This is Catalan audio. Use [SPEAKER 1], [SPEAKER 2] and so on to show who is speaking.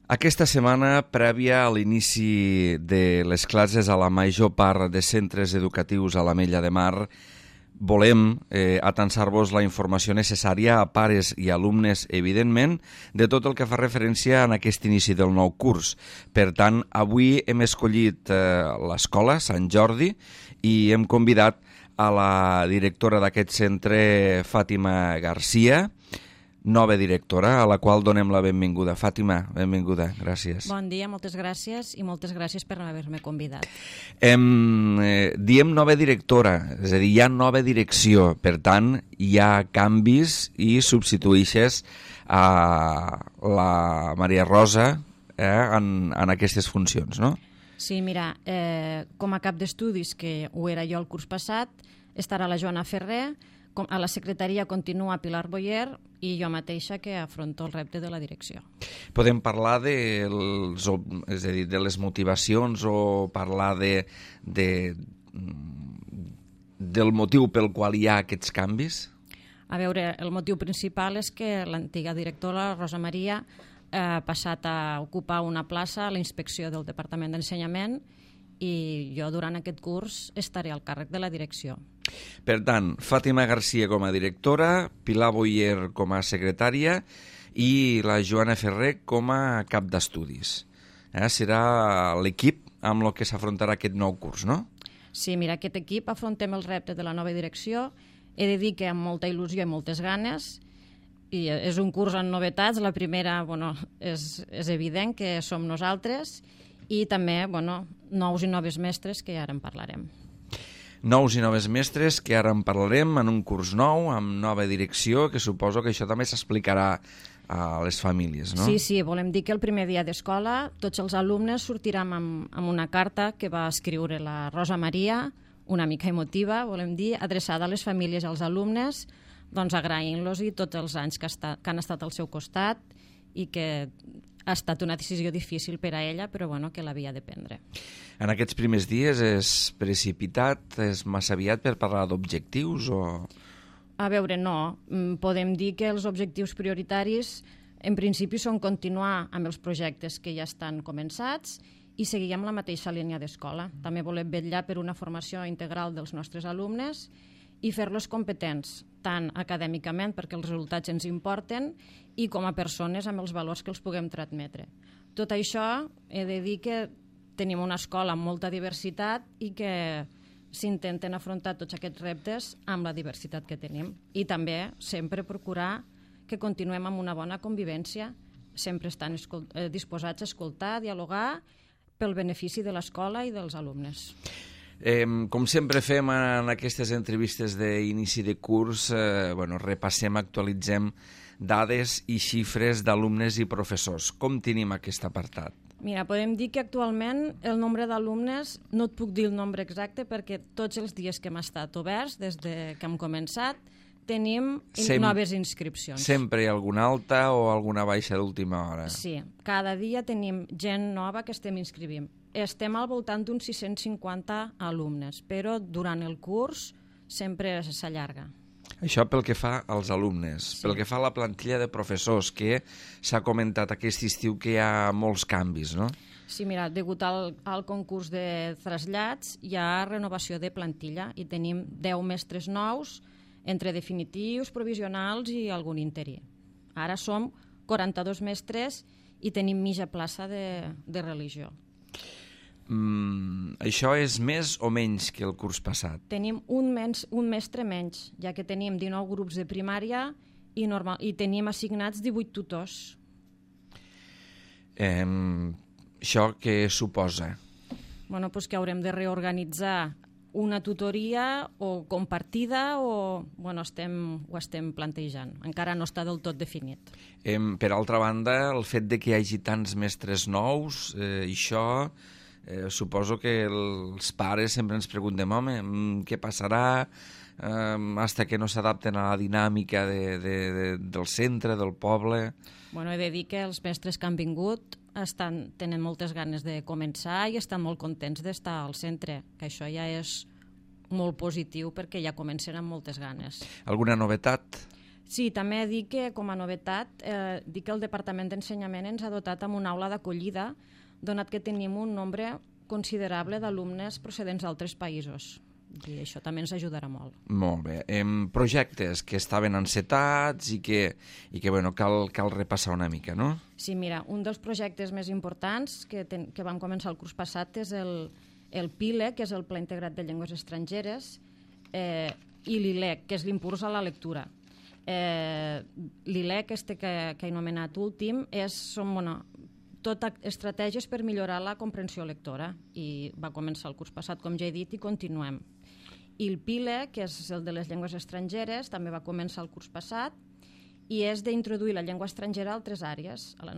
[SPEAKER 1] Aquesta setmana, prèvia a l'inici de les classes a la major part de centres educatius a l'Ametlla de Mar, volem atansar-vos la informació necessària a pares i alumnes, evidentment, de tot el que fa referència a aquest inici del nou curs. Per tant, avui hem escollit l'escola Sant Jordi i hem convidat a la directora d'aquest centre, Fàtima Garcia, nova directora, a la qual donem la benvinguda. Fàtima, benvinguda, gràcies.
[SPEAKER 2] Bon dia, moltes gràcies i moltes gràcies per haver-me convidat.
[SPEAKER 1] Diem nova directora, és a dir, hi ha nova direcció, per tant, hi ha canvis i substitueixes a la Maria Rosa en aquestes funcions, no?
[SPEAKER 2] Sí, mira, com a cap d'estudis, que ho era jo el curs passat, estarà la Joana Ferrer, a la secretaria continua Pilar Boyer i jo mateixa que afronto el repte de la direcció.
[SPEAKER 1] Podem parlar de les motivacions o parlar del motiu pel qual hi ha aquests canvis?
[SPEAKER 2] A veure, el motiu principal és que l'antiga directora, Rosa Maria, ha passat a ocupar una plaça a la inspecció del Departament d'Ensenyament i jo durant aquest curs estaré al càrrec de la direcció.
[SPEAKER 1] Per tant, Fàtima Garcia com a directora, Pilar Boyer com a secretària i la Joana Ferrer com a cap d'estudis. Serà l'equip amb el que s'afrontarà aquest nou curs, no?
[SPEAKER 2] Sí, mira, aquest equip afrontem el repte de la nova direcció. He de dir que amb molta il·lusió i moltes ganes, i és un curs amb novetats. La primera, és evident que som nosaltres, i també, nous i noves mestres, que ara en parlarem.
[SPEAKER 1] Nous i noves mestres, que ara en parlarem, en un curs nou, amb nova direcció, que suposo que això també s'explicarà a les famílies, no?
[SPEAKER 2] Sí, volem dir que el primer dia d'escola tots els alumnes sortirem amb una carta que va escriure la Rosa Maria, una mica emotiva, volem dir, adreçada a les famílies i als alumnes, agraint-los i tots els anys que han estat al seu costat i que ha estat una decisió difícil per a ella, però que l'havia de prendre.
[SPEAKER 1] En aquests primers dies és precipitat, és massa aviat per parlar d'objectius o...?
[SPEAKER 2] A veure, no. Podem dir que els objectius prioritaris en principi són continuar amb els projectes que ja estan començats i seguir amb la mateixa línia d'escola. També volem vetllar per una formació integral dels nostres alumnes i fer-los competents, tant acadèmicament, perquè els resultats ens importen, i com a persones amb els valors que els puguem transmetre. Tot això, he de dir que tenim una escola amb molta diversitat i que s'intenten afrontar tots aquests reptes amb la diversitat que tenim. I també sempre procurar que continuem amb una bona convivència, sempre estan disposats a escoltar, a dialogar, pel benefici de l'escola i dels alumnes.
[SPEAKER 1] Com sempre fem en aquestes entrevistes d'inici de curs, repassem, actualitzem dades i xifres d'alumnes i professors. Com tenim aquest apartat?
[SPEAKER 2] Mira, podem dir que actualment el nombre d'alumnes, no et puc dir el nombre exacte perquè tots els dies que hem estat oberts, des que hem començat, tenim noves inscripcions.
[SPEAKER 1] Sempre hi ha alguna alta o alguna baixa d'última hora?
[SPEAKER 2] Sí, cada dia tenim gent nova que estem inscrivint. Estem al voltant d'uns 650 alumnes, però durant el curs sempre s'allarga.
[SPEAKER 1] Això pel que fa als alumnes. Sí. Pel que fa a la plantilla de professors, que s'ha comentat aquest estiu que hi ha molts canvis, no?
[SPEAKER 2] Sí, mira, degut al concurs de trasllats hi ha renovació de plantilla i tenim 10 mestres nous entre definitius, provisionals i algun interí. Ara som 42 mestres i tenim mitja plaça de religió.
[SPEAKER 1] Això és més o menys que el curs passat?
[SPEAKER 2] Tenim un mestre menys, ja que tenim 19 grups de primària i tenim assignats 18 tutors.
[SPEAKER 1] Això què suposa?
[SPEAKER 2] Que haurem de reorganitzar una tutoria o compartida o ho estem plantejant. Encara no està del tot definit.
[SPEAKER 1] Per altra banda, el fet de que hi hagi tants mestres nous, això... suposo que els pares sempre ens preguntem, què passarà fins que no s'adapten a la dinàmica del centre, del poble?
[SPEAKER 2] He de dir que els mestres que han vingut tenen moltes ganes de començar i estan molt contents d'estar al centre, que això ja és molt positiu perquè ja comencen amb moltes ganes.
[SPEAKER 1] Alguna novetat?
[SPEAKER 2] Sí, també dic que, com a novetat, dic que el Departament d'Ensenyament ens ha dotat amb una aula d'acollida, donat que tenim un nombre considerable d'alumnes procedents d'altres països. I això també ens ajudarà molt.
[SPEAKER 1] Molt bé. Projectes que estaven encetats i que bueno, cal repassar una mica, no?
[SPEAKER 2] Sí, mira, un dels projectes més importants que vam començar el curs passat és el PILE, que és el Pla Integrat de Llengües Estrangeres, i l'ILEC, que és l'impuls a la lectura. L'ILEC, que he anomenat últim, són tot estratègies per millorar la comprensió lectora, i va començar el curs passat, com ja he dit, i continuem. I el PILE, que és el de les llengües estrangeres, també va començar el curs passat, i és d'introduir la llengua estrangera a altres àrees, a la